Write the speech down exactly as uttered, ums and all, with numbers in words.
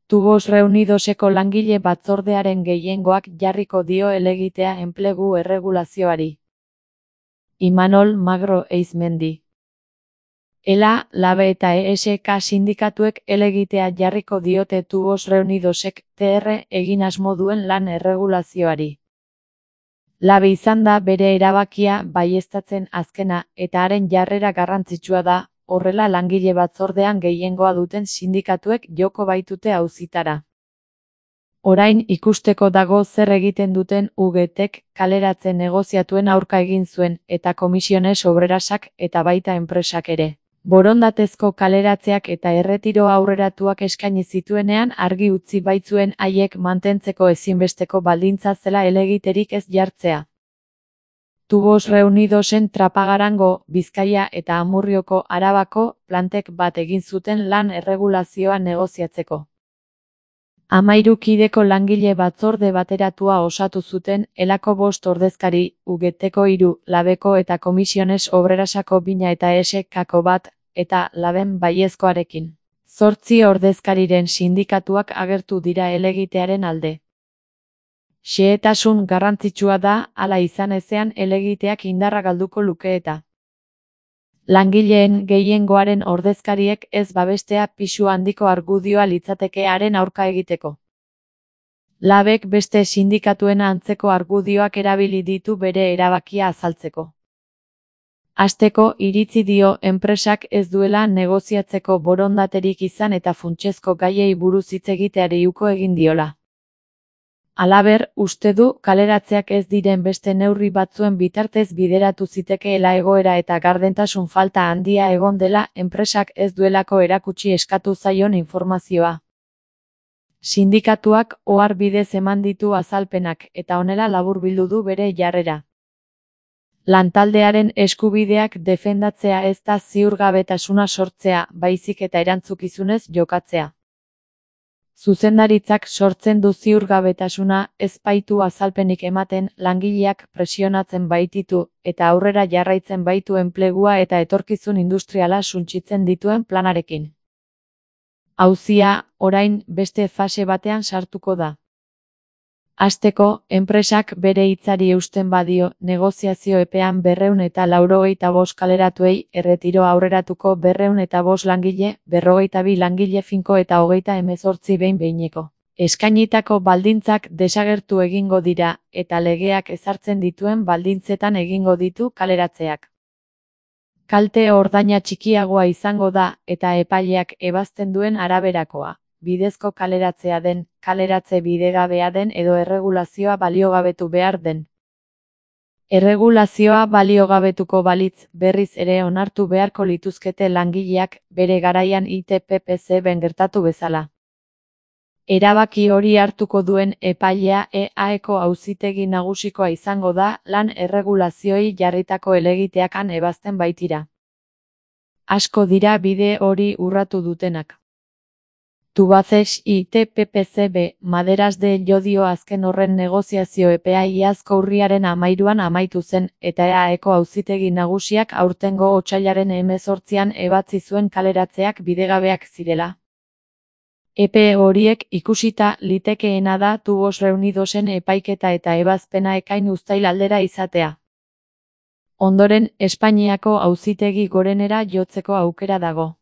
Tubos Reunidoseko langile batzordearen gehiengoak jarriko dio helegitea enplegu erregulazioari. Imanol Magro Eizmendi. Ela, Labe eta E S K sindikatuek helegitea jarriko diote Tubos Reunidosek T R egin asmo duen lan erregulazioari. Labe izan da bere erabakia baieztatzen azkena, eta haren jarrera garrantzitsua da, horrela langile batzordean gehiengoa duten sindikatuek joko baitute auzitara. Orain ikusteko dago zer egiten duten U G Tek kaleratze negoziatuen aurka egin zuen, eta Comisiones Obrerasak eta baita enpresak ere. Borondatezko kaleratzeak eta erretiro aurreratuak eskaini zituenean argi utzi baitzuen haiek mantentzeko ezinbesteko baldintza zela helegiterik ez jartzea. Tubos Reunidosen Trapagarango, Bizkaia eta Amurrioko Arabako plantek bat egin zuten lan erregulazioa negoziatzeko. Hamairu kideko langile batzorde bateratua osatu zuten, Elako bost ordezkari, U G Teko hiru, Labeko eta Comisiones Obrerasako bina eta E S Kako bat, eta Laben baiezkoarekin. Zortzi ordezkariren sindikatuak agertu dira helegitearen alde. Xehetasun garrantzitsua da, hala izan ezean helegiteak indarra galduko luke eta. Langileen gehiengoaren ordezkariek ez babestea pisu handiko argudioa litzateke haren aurka egiteko. Labek beste sindikatuen antzeko argudioak erabili ditu bere erabakia azaltzeko. Hasteko iritzi dio enpresak ez duela negoziatzeko borondaterik izan eta funtsezko gaiei buruz hitz egiteari uko egin diola. Halaber, uste du kaleratzeak ez diren beste neurri batzuen bitartez bideratu zitekeela egoera eta gardentasun falta handia egon dela enpresak ez duelako erakutsi eskatu zaion informazioa. Sindikatuak ohar bidez eman ditu azalpenak eta honela laburbildu du bere jarrera. Lantaldearen eskubideak defendatzea ez da ziurgabetasuna sortzea, baizik eta erantzukizunez jokatzea. Zuzendaritzak sortzen du ziurgabetasuna, ez baitu azalpenik ematen, langileak presionatzen baititu, eta aurrera jarraitzen baitu enplegua eta etorkizun industriala suntsitzen dituen planarekin. Auzia, orain, beste fase batean sartuko da. Hasteko, enpresak bere hitzari eusten badio, negoziazio epean berrehun eta laurogeita bost kaleratuei, erretiro aurreratuko berrehun eta bost langile, berrogeita bi langile finko eta hogeita hemezortzi behin behineko. Eskainitako baldintzak desagertu egingo dira, eta legeak ezartzen dituen baldintzetan egingo ditu kaleratzeak. Kalte ordaina txikiagoa izango da, eta epaileak ebazten duen araberakoa. Bidezko kaleratzea den, kaleratze bidegabea den edo erregulazioa baliogabetu behar den. Erregulazioa baliogabetuko balitz, berriz ere onartu beharko lituzkete langileak, bere garaian I T P P C ben gertatu bezala. Erabaki hori hartuko duen epailea E A Eko auzitegi nagusikoa izango da, lan erregulazioei jarritako helegiteakan ebazten baitira. Asko dira bide hori urratu dutenak. Tubacex I T P P C B, Maderas de Llodio azken horren negoziazio epea iazko urriaren hamairuan amaitu zen, eta E A Eko auzitegi nagusiak aurtengo otsailaren hemezortzian ebatzi zuen kaleratzeak bidegabeak zirela. Epe horiek ikusita litekeena da Tubos Reunidosen epaiketa eta ebazpena ekain uztail aldera izatea. Ondoren, Espainiako auzitegi gorenera jotzeko aukera dago.